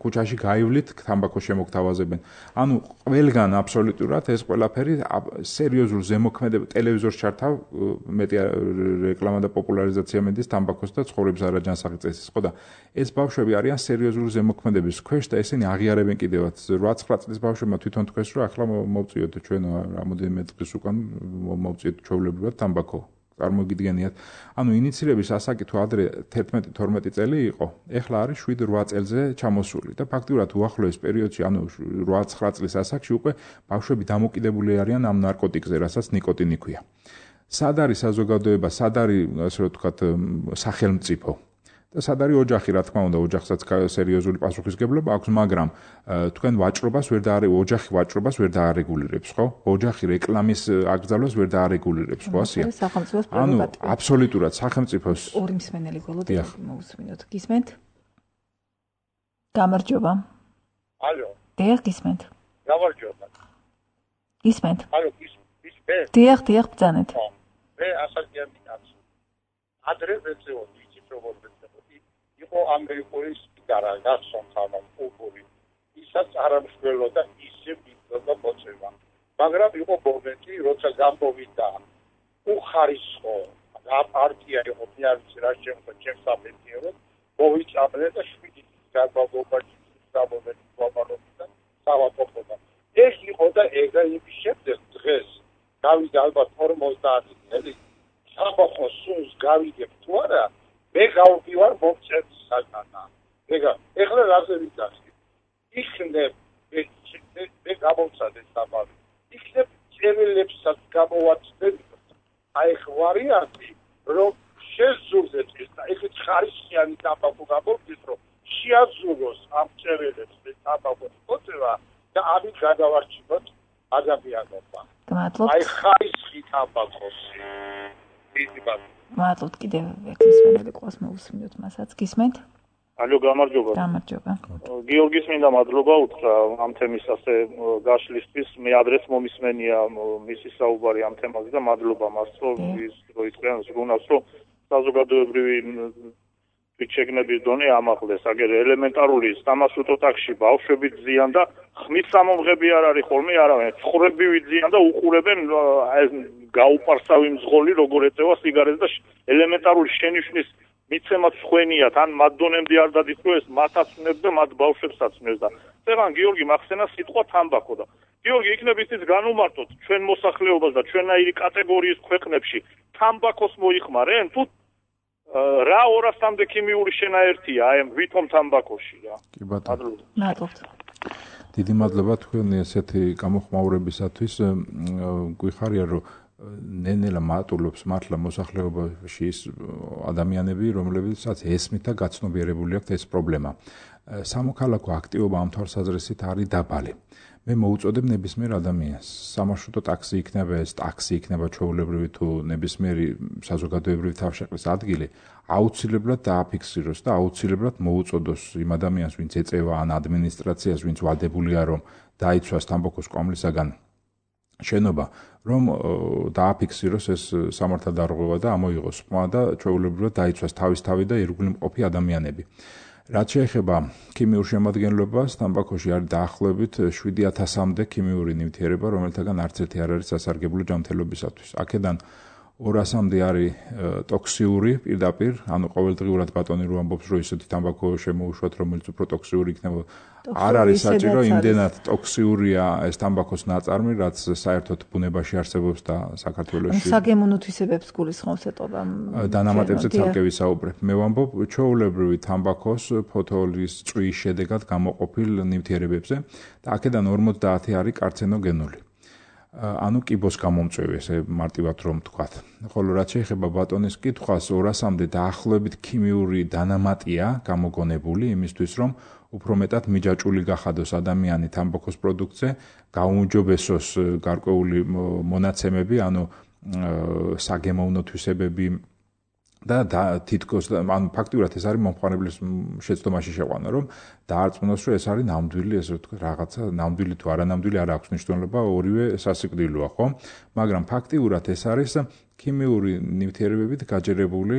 ქუჩაში გაივლით, თამბაქოს შემოგთავაზებენ. ანუ ყველგან აბსოლუტურად ეს ყველაფერი სერიოზულ ზემოქმედებს ტელევიზორს ჩართავ, მეტი რეკლამა და პოპულარიზაცია მედის თამბაქოს და ცხოვრების არაჯანსაღი წესის, ხო და ეს ბავშვები არიან სერიოზული ზემოქმედების ქვეშ და ესენი აღიარებენ კიდევაც რვა ცხრა წლის ბავშვებმა თვითონ თქვეს რომ ახლა მოვწიოთ ჩვენ რამოდენიმე დღის უკან მოვწიოთ ჩვეულებრივად თამბაქო. წარმოგიდგენიათ. ანუ ინიცირების ასაკი თუ ადრე თერთმეტი თორმეტი წელი იყო, ეხლა არის შვიდ რვა წელზე ჩამოსული და ფაქტურად უახლოეს პერიოდში, ანუ რვა ცხრა წლის ასაკში უკვე ბავშვები დამოკიდებული არიან ამ ნარკოტიკზე, რასაც ნიკოტინი ქვია. სად არის საზოგადოება, სად არის ასე რომ ვთქვათ სახელმწიფო და სად არის ოჯახი, რა თქმა უნდა, ოჯახსაც სერიოზული პასუხისგებლობა აქვს, მაგრამ თქვენ ვაჭრობას ვერ და ოჯახი ვაჭრობას ვერ დაარეგულირებს, ხო? ოჯახი რეკლამის აკრძალვას ვერ დაარეგულირებს, ხო ასეა? ანუ აბსოლუტურად სახელმწიფოს ორი მსმენელი გოლოდ მოусმინოთ. გისმენთ? გამარჯობა. ალო. დიახ, გისმენთ. გამარჯობა. გისმენთ? ალო, გისმენთ? დიახ, დიახ, ბრძანეთ. მე ასაკიანი კაცი. ადრე ვეწეოდი, იცით როგორ ვეწეოდი? იყო ამერიკული სიგარა, გასონ ხამან, პოპული. ისაც არ ამშველოდა ისე მიწოდა მოწევა. მაგრამ იყო მომენტი, როცა გამოვიდა უხარისხო და პარტია იყო ფიარცი რა შემო ჩემს აპეტიერო, მოვიწამლე და შვიდი განმავლობაში გამოვედი გვამარობდა სავატოფოდა. ეს იყო და ეგა იმის შემდეგ დღეს გავიდა ალბათ ორმოცდაათი წელი საბახოს სულს გავიგებ თუ არა, მე გავდივარ მომწევს საგანა. ეგა ეხლა რაზე ვიტახი? იქნებ მე გამოვცადე საბავი. იქნებ წერილებსაც გამოვაცდებ. აი ხვარიანტი რომ შეზურდეთ და ეხეთ ხარისხიანი თამბაქო გამოვდის რომ შეაზუროს ამ წერილებს და თამბაქოს მოწევა და ამით გადავარჩინოთ ადამიანობა. მადლობთ. აი ხარისხი თამბაქოს. ისიბა. მადლობთ კიდევ ერთი მსმენელი ყავს მოусმინოთ მასაც. გისმენთ? ალო, გამარჯობა. გამარჯობა. გიორგის მინდა მადლობა უთხრა ამ თემის ასე გაშლისთვის. მე ადრეს მომისმენია მისი საუბარი ამ თემაზე და მადლობა მას რომ ის რო იტყვიან ზრუნავს რომ საზოგადოებრივი შეგნების დონე ამაღლეს. აგერ ელემენტარული სამასუტო ტაქსში ბავშვები ძიან და ხმის სამომღები არ არის ხოლმე არავინ. ხრებივი ძიან და უყურებენ გაუპარსავი მძღოლი როგორ ეწევა სიგარეტს და ელემენტარული შენიშვნის მიცემაც ხვენიათ, ან მათ დონემდე არ დადის რომ ეს მათაც ვნებს და მათ ბავშვებსაც ვნებს და წეგან გიორგი მახსენა სიტყვა თამბაქო და გიორგი იქნებ ისიც განუმარტოთ ჩვენ მოსახლეობას და ჩვენაირი კატეგორიის ქვეყნებში თამბაქოს მოიხმარენ თუ რა ორასამდე ქიმიური შენაერთია აი ვითომ თამბაქოში რა. კი ბატონო. მადლობთ. დიდი მადლობა თქვენი ესეთი გამოხმაურებისათვის. გვიხარია რომ ნენელა მატულობს მართლა მოსახლეობაში ის ადამიანები, რომლებიცაც ესმით და გაცნობიერებული აქვთ ეს პრობლემა. სამოქალაქო აქტივობა ამ თვალსაზრისით არის დაბალი. მე მოუწოდებ ნებისმიერ ადამიანს. სამარშრუტო ტაქსი იქნება, ეს ტაქსი იქნება ჩვეულებრივი თუ ნებისმიერი საზოგადოებრივი თავშეყრის ადგილი, აუცილებლად დააფიქსიროს და აუცილებლად მოუწოდოს იმ ადამიანს, ვინც ეწევა ან ადმინისტრაციას, ვინც ვადებულია რომ დაიცვას თამბაქოს კვამლისაგან შენობა, რომ დააფიქსიროს ეს სამართალდარღვევა და ამოიღოს ხმა და ჩვეულებრივად დაიცვას თავისთავი და ირგვლივ მყოფი ადამიანები. რაც შეეხება ქიმიურ შემადგენლობას, თამბაქოში არის დაახლოებით შვიდი ათასამდე ქიმიური ნივთიერება, რომელთაგან არც ერთი არ არის სასარგებლო ჯანმრთელობისათვის. აქედან ორასამდე არის ტოქსიური პირდაპირ, ანუ ყოველდღიურად ბატონი რო ამბობს, რომ ისეთი თამბაქო შემოუშვათ, რომელიც უფრო ტოქსიური იქნება. არ არის საჭირო, იმდენად ტოქსიურია ეს თამბაქოს ნაწარმი, რაც საერთოდ ბუნებაში არსებობს და საქართველოში. საგემოვნო თვისებებს გულისხმობს ეტობა. დანამატებზე ცალკე ვისაუბრებ. მე ვამბობ ჩვეულებრივი თამბაქოს ფოთოლის წვიის შედეგად გამოყოფილ ნივთიერებებზე და აქედან ორმოცდაათი არის კარცინოგენული. ანუ კიბოს გამომწვევი, ესე მარტივად რომ ვთქვათ. ხოლო რაც შეეხება ბატონის კითხვას, ორასამდე დაახლოებით ქიმიური დანამატია გამოგონებული იმისთვის, რომ უფრო მეტად მიჯაჭვული გახადოს ადამიანი თამბაქოს პროდუქტზე, გაუმჯობესოს გარკვეული მონაცემები, ანუ საგემოვნო თვისებები და თითქოს ანუ ფაქტიურად ეს არის მომხმარებლის შეცდომაში შეყვანა, რომ დაარწმუნოს, რომ ეს არის ნამდვილი, ესე ვთქვათ, რაღაცა ნამდვილი თუ არანამდვილი არ აქვს მნიშვნელობა, ორივე სასიკვდილოა, ხო? მაგრამ ფაქტიურად ეს არის ქიმიური ნივთიერებებით გაჯერებული,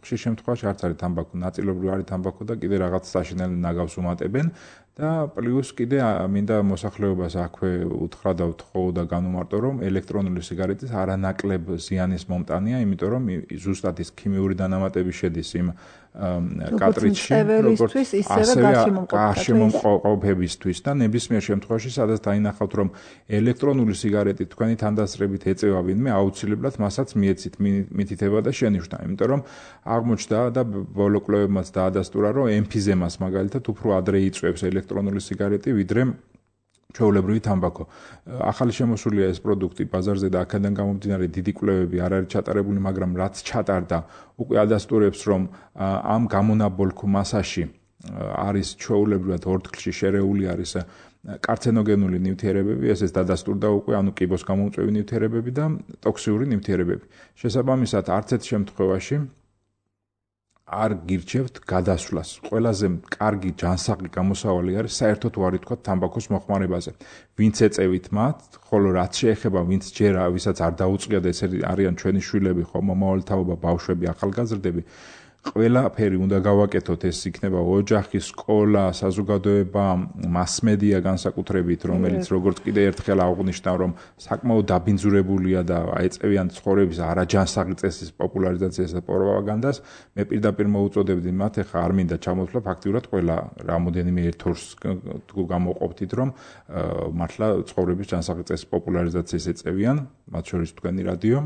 ხშირ შემთხვევაში არც არის თამბაქო, ნაწილობრივ არის თამბაქო და კიდე რაღაც საშინელ ნაგავს უმატებენ და პლუს კიდე მინდა მოსახლეობას აქვე უთხრა და ვთხოვ და განუმარტო, რომ ელექტრონული სიგარეტის არანაკლებ ზიანის მომტანია, იმიტომ რომ ზუსტად ის ქიმიური დანამატები შედის იმ კატრიჯში, როგორც ასევე გარშემომყოფებისთვის და ნებისმიერ შემთხვევაში, სადაც დაინახავთ, რომ ელექტრონული სიგარეტი თქვენი თანდასწრებით ეწევა ვინმე, აუცილებლად მასაც მიეცით მითითება და შენიშვნა, იმიტომ რომ აღმოჩნდა და ბოლო კვლევებმაც დაადასტურა, რომ ემფიზემას მაგალითად უფრო ადრე იწვევს ელექტრონული სიგარეტი, ვიდრე ჩვეულებრივი თამბაქო. ახალი შემოსულია ეს პროდუქტი ბაზარზე და აქედან გამომდინარე დიდი კვლევები არ არის ჩატარებული, მაგრამ რაც ჩატარდა, უკვე ადასტურებს, რომ ამ გამონაბოლქვ მასაში არის ჩვეულებრივად ორთქლში შერეული არის კარცინოგენული ნივთიერებები, ესეც დადასტურდა უკვე, ანუ კიბოს გამომწვევი ნივთიერებები და ტოქსიური ნივთიერებები. შესაბამისად, არც ერთ შემთხვევაში არ გირჩევთ გადასვლას. ყველაზე კარგი ჯანსაღი გამოსავალი არის საერთოდ ვარი თქვა თამბაქოს მოხმარებაზე. ვინც ეწევით მათ, ხოლო რაც შეეხება ვინც ჯერ ვისაც არ დაუწყია და ეს არიან ჩვენი შვილები, ხო, მომავალი თაობა, ბავშვები, ახალგაზრდები, ყველაფერი უნდა გავაკეთოთ, ეს იქნება ოჯახი, სკოლა, საზოგადოება, მასმედია განსაკუთრებით, რომელიც როგორც კიდე ერთხელ აღვნიშნავ, რომ საკმაოდ დაბინძურებულია და აეწევიან ცხოვრების არაჯანსაღი წესის პოპულარიზაციას და პროპაგანდას, მე პირდაპირ მოუწოდებდი მათ, ეხა არ მინდა ჩამოთვლა, ფაქტიურად ყველა რამოდენიმე ერთ ორს გამოყოფთით, რომ მართლა ცხოვრების ჯანსაღი წესის პოპულარიზაციას ეწევიან, მათ შორის თქვენი რადიო.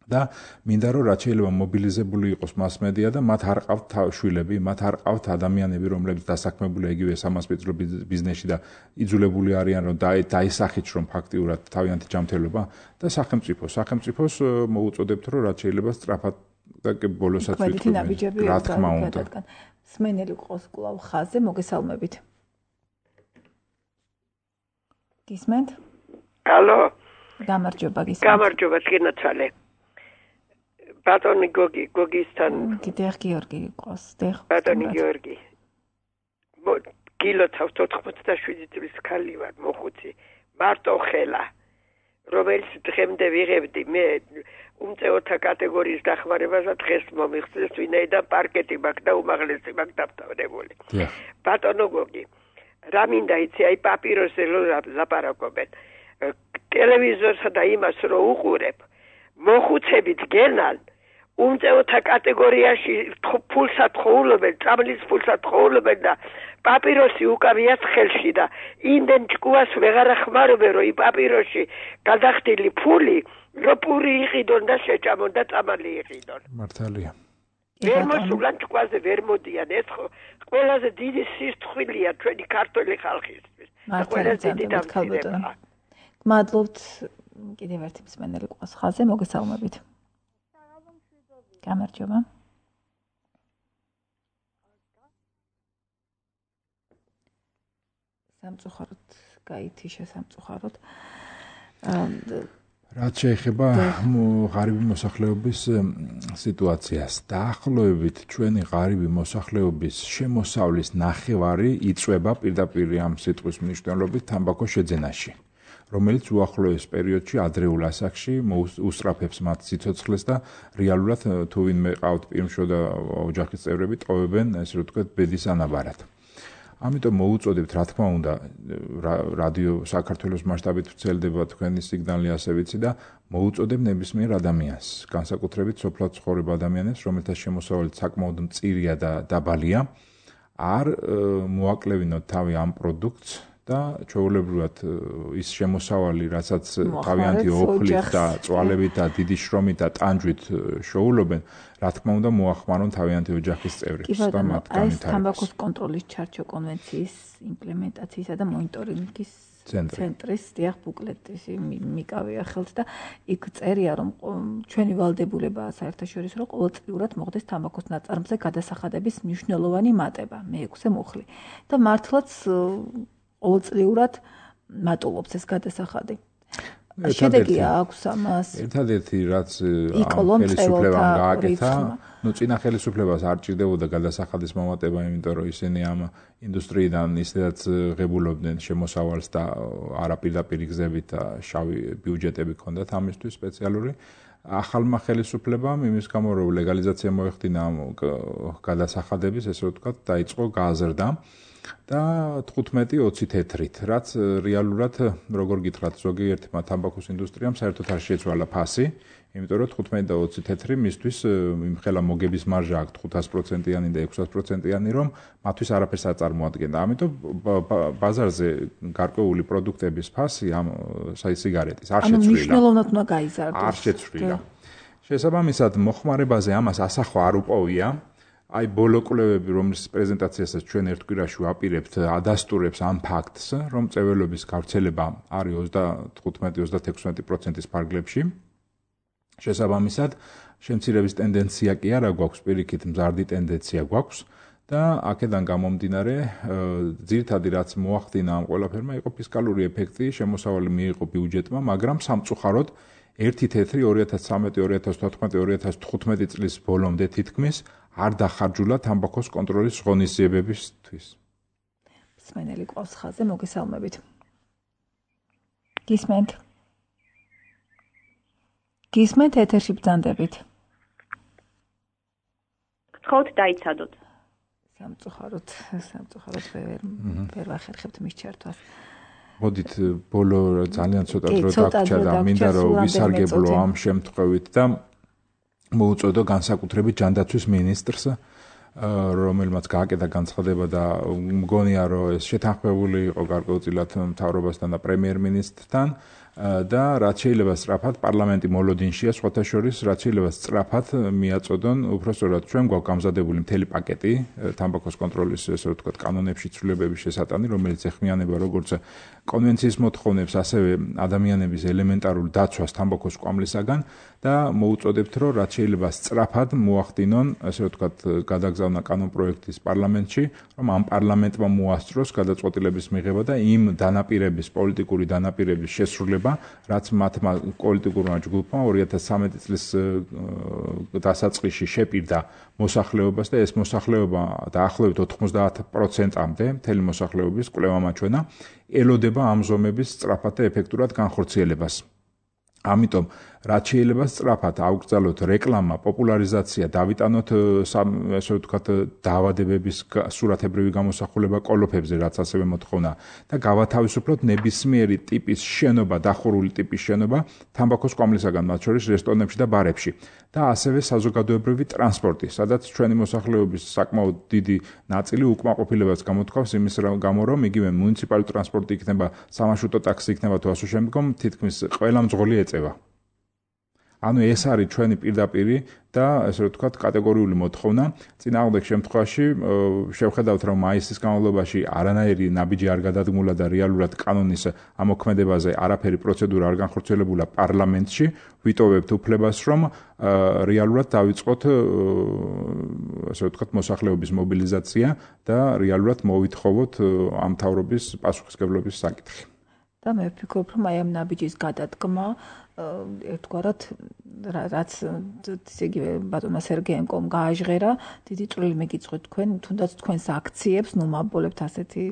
და მინდა რომ რაც შეიძლება მობილიზებული იყოს მასმედია და მათ არ ყავთ შვილები, მათ არ ყავთ ადამიანები, რომლებიც დასაქმებულია იგივე სამასპინძლო ბიზნესში და იძულებული არიან რომ დაისახით რომ ფაქტიურად თავიანთი ჯანმრთელობა და სახელმწიფო, სახელმწიფოს მოუწოდებთ რომ რაც შეიძლება სწრაფად და ბოლოსაც ვიტყვი. რა თქმა უნდა. სმენელი ყავს კვლავ ხაზზე, მოგესალმებით. გისმენთ? ალო. გამარჯობა, გისმენთ. გამარჯობა, გინაცვალე. ბატონი გოგი, გოგისთან. კიდევ გიორგი ყავს, დეხ. ბატონი გიორგი. კილოცავს ოთხმოცდაშვიდი წლის ქალი ვარ, მოხუცი. მარტო ხელა. რომელიც დღემდე ვიღებდი მე უმწეოთა კატეგორიის დახმარებაზე დღეს მომიხსნეს, ვინაიდან პარკეტი მაქვს და უმაღლესი მაქვს დამთავრებული. ბატონო გოგი, რა მინდა იცი, აი პაპიროზე ლაპარაკობენ. ტელევიზორსა და იმას რო უყურებ, მოხუცებით გენან უმწეოთა კატეგორიაში ფულსად ხოვლებენ, წამლის ფულსად ხოვლებენ და პაპიროსი უკავიათ ხელში და იმდენ ჭკუას ვეღარ ახმარობენ, რომ იმ პაპიროსში გადახდილი ფული რო პური იყიდონ და შეჭამონ და წამალი იყიდონ. მართალია. ვერ მოსულან ჭკუაზე ვერ მოდიან, ეს ყველაზე დიდი სისხლია ჩვენი ქართული ხალხისთვის. ყველაზე დიდი დამცირება. მადლობთ. კიდევ ერთი მსმენელი ყავს ხაზზე, მოგესალმებით. გამარჯობა. სამწუხაროდ გაითიშა სამწუხაროდ. რაც შეეხება ღარიბი მოსახლეობის სიტუაციას, დაახლოებით ჩვენი ღარიბი მოსახლეობის შემოსავლის ნახევარი იწვება პირდაპირ ამ სიტყვის მნიშვნელობით თამბაქოს შეძენაში, რომელიც უახლოეს პერიოდში ადრეულ ასაკში უსწრაფებს მათ სიცოცხლეს და რეალურად თუ ვინმე ყავთ პირმშო და ოჯახის წევრები ტოვებენ, ესე რომ ვთქვათ, ბედის ანაბარად. ამიტომ მოუწოდებთ, რა თქმა უნდა, რადიო საქართველოს მასშტაბით ვრცელდება თქვენი სიგნალი, ასე ვიცი და მოუწოდებ ნებისმიერ ადამიანს, განსაკუთრებით სოფლად ცხოვრებ ადამიანებს, რომელთა შემოსავალი საკმაოდ მწირია და დაბალია, არ მოაკლევინოთ თავი ამ პროდუქტს და ჩვეულებრივად ის შემოსავალი, რასაც თავიანთი ოფლით და წვალებით და დიდი შრომით და ტანჯვით შოულობენ, რა თქმა უნდა მოახმარონ თავიანთი ოჯახის წევრებს და მათ განვითარებას. ეს თამბაქოს კონტროლის ჩარჩო კონვენციის იმპლემენტაციისა და მონიტორინგის ცენტრის დიახ ბუკლეტის მიკავია ხელთ და იქ წერია რომ ჩვენი ვალდებულება საერთაშორისო რომ ყოველწლიურად მოხდეს თამბაქოს ნაწარმზე გადასახადების მნიშვნელოვანი მატება მეექვსე მუხლი და მართლაც ყოველწლიურად მატულობს ეს გადასახადი. შედეგი აქვს ამას. ერთადერთი რაც ამ ხელისუფლებამ გააკეთა, ну წინა ხელისუფლებას არ ჭირდებოდა გადასახადის მომატება, იმიტომ რომ ისინი ამ ინდუსტრიიდან ისედაც ღებულობდნენ შემოსავალს და არაპირდაპირ გზებით და შავი ბიუჯეტები ჰქონდათ ამისთვის სპეციალური. ახალმა ხელისუფლებამ იმის გამო რომ ლეგალიზაცია მოეხდინა ამ გადასახადების, ესე რომ ვთქვათ, დაიწყო გაზრდა. და თხუთმეტი ოცი თეთრით, რაც რეალურად როგორ გითხრათ, ზოგიერთმა თამბაქოს ინდუსტრიამ საერთოდ არ შეცვალა ფასი, იმიტომ რომ თხუთმეტი და ოცი თეთრი მისთვის იმხელა მოგების მარჟა აქვს თხუთას პროცენტიანი და ექვსას პროცენტიანი, რომ მათთვის არაფერს არ წარმოადგენდა. ამიტომ ბაზარზე გარკვეული პროდუქტების ფასი ამ სიგარეტის არ შეცვლილა. ანუ მნიშვნელოვნად უნდა გაიზარდოს. არ შეცვლილა. შესაბამისად, მოხმარებაზე ამას ასახვა არ უპოვია. აი ბოლო კვლევები, რომლის პრეზენტაციასაც ჩვენ ერთ კვირაში ვაპირებთ, ადასტურებს ამ ფაქტს, რომ წეველობის გავრცელება არის ოცდათხუთმეტი ოცდაექვსი პროცენტის ფარგლებში. შესაბამისად, შემცირების ტენდენცია კი არა გვაქვს, პირიქით მზარდი ტენდენცია გვაქვს და აქედან გამომდინარე, ძირითადი რაც მოახდინა ამ ყველაფერმა იყო ფისკალური ეფექტი, შემოსავალი მიიღო ბიუჯეტმა, მაგრამ სამწუხაროდ ერთი თეთრი ორი ათას ცხრამეტი ორი ათას თოთხმეტი ორი ათას თხუთმეტი წლის ბოლომდე თითქმის არ დახარჯულა თამბაქოს კონტროლის ღონისძიებებისთვის. მსმენელი ყავს ხაზზე, მოგესალმებით. გისმენთ. გისმენთ ეთერში ბრძანდებით. გთხოვთ დაიცადოთ. სამწუხაროდ, სამწუხაროდ ვერ ვერ ვახერხებთ მის ჩართვას. მოდით ბოლო ძალიან ცოტა დრო დაგვრჩა და მინდა რომ ვისარგებლო ამ შემთხვევით და მოუწოდო განსაკუთრებით ჯანდაცვის მინისტრს, რომელმაც გააკეთა განცხადება და მგონია რომ ეს შეთანხმებული იყო გარკვეულწილად მთავრობასთან და პრემიერ-მინისტრთან და რაც შეიძლება სწრაფად პარლამენტი მოლოდინშია, სხვათა შორის რაც შეიძლება სწრაფად მიაწოდონ, უბრალოდ ჩვენ გვაქვს გამზადებული მთელი პაკეტი თამბაქოს კონტროლის, ესე ვთქვათ, კანონებში ცვლილებების შესატანი, რომელიც ეხმიანება როგორც კონვენციის მოთხოვნებს, ასევე ადამიანების ელემენტარულ დაცვას თამბაქოს კვამლისაგან და მოუწოდებთ, რომ რაც შეიძლება სწრაფად მოახდინონ, ესე ვთქვათ, გადაგზავნა კანონპროექტის პარლამენტში, რომ ამ პარლამენტმა მოასწროს გადაწყვეტილების მიღება და იმ დანაპირების, პოლიტიკური დანაპირების შესრულება, რაც მათმა პოლიტიკურმა ჯგუფმა ორი ათას ცხრამეტი წლის დასაწყისში შეპირდა მოსახლეობას და ეს მოსახლეობა დაახლოებით ოთხმოცდაათ პროცენტამდე მთელი მოსახლეობის კვლევა მაჩვენა ელოდება ამ ზომების სწრაფად და ეფექტურად განხორციელებას. ამიტომ რაც შეიძლება სწრაფად აუკრძალოთ რეკლამა, პოპულარიზაცია, დავიტანოთ ესე ვთქვათ დაავადებების სურათებრივი გამოსახულება კოლოფებზე, რაც ასევე მოთხოვნა და გავათავისუფლოთ ნებისმიერი ტიპის შენობა, დახურული ტიპის შენობა თამბაქოს კვამლისაგან, მათ შორის რესტორნებში და ბარებში და ასევე საზოგადოებრივი ტრანსპორტი, სადაც ჩვენი მოსახლეობის საკმაოდ დიდი ნაწილი უკმაყოფილებას გამოთქვავს იმის გამო, რომ იგივე მუნიციპალური ტრანსპორტი იქნება, სამარშრუტო ტაქსი იქნება თუ ასე შემდგომ, თითქმის ყველა მძღოლი ეწევა. ანუ ეს არის ჩვენი პირდაპირი და ესე ვთქვათ კატეგორიული მოთხოვნა. წინააღმდეგ შემთხვევაში შევხედავთ, რომ მაისის განმავლობაში არანაირი ნაბიჯი არ გადადგმულა და რეალურად კანონის ამოქმედებაზე არაფერი პროცედურა არ განხორციელებულა პარლამენტში. ვიტოვებთ უფლებას, რომ რეალურად დავიწყოთ ესე ვთქვათ მოსახლეობის მობილიზაცია და რეალურად მოვითხოვოთ ამ მთავრობის პასუხისმგებლობის საკითხი. და მე ვფიქრობ, რომ აი ამ ნაბიჯის გადადგმა ერთგვარად რაც ისე იგივე ბატონმა სერგეენკომ გააჟღერა, დიდი წვლილი მიგიწვით თქვენ, თუნდაც თქვენს აქციებს, ნუ მაბოლებთ ასეთი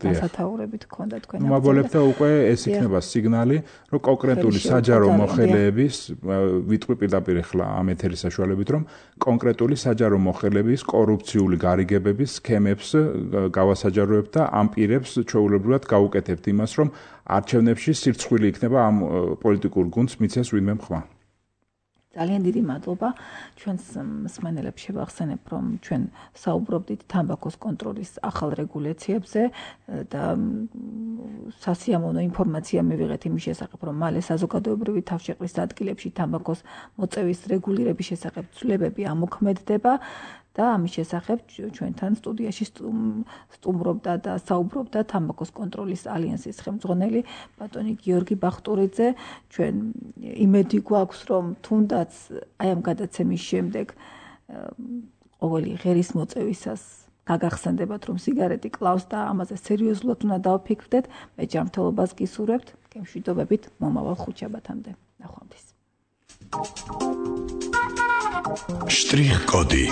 დასათაურებით გქონდა თქვენ აქციები. მაბოლებთ და უკვე ეს იქნება სიგნალი, რომ კონკრეტული საჯარო მოხელეების, ვიტყვი პირდაპირ ახლა ამ ეთერის საშუალებით, რომ კონკრეტული საჯარო მოხელეების კორუფციული გარიგებების სქემებს გავასაჯაროებთ და ამ პირებს ჩვეულებრივად გაუკეთებთ იმას, რომ არჩევნებში სირცხვილი იქნება ამ პოლიტიკურ გუნდს მიცეს ვინმე მხმა. ძალიან დიდი მადლობა. ჩვენს მსმენელებს შევახსენებ, რომ ჩვენ საუბრობდით თამბაქოს კონტროლის ახალ რეგულაციებზე და სასიამოვნო ინფორმაცია მივიღეთ იმის შესახებ, რომ მალე საზოგადოებრივი თავშეყრის ადგილებში თამბაქოს მოწევის რეგულირების შესახებ ცვლილებები ამოქმედდება. და ამის შესახებ ჩვენთან სტუდიაში სტუმრობდა და საუბრობდა თამბაქოს კონტროლის ალიანსის ხელმძღვანელი ბატონი გიორგი ბახტურიძე. ჩვენ იმედი გვაქვს, რომ თუნდაც აი ამ გადაცემის შემდეგ ყოველი ღერის მოწევისას გაგახსენდებათ, რომ სიგარეტი კლავს და ამაზე სერიოზულად უნდა დავფიქრდეთ. მე ჯანმრთელობას გისურვებთ. გემშვიდობებით მომავალ ხუთშაბათამდე. ნახვამდის. შტრიხ კოდი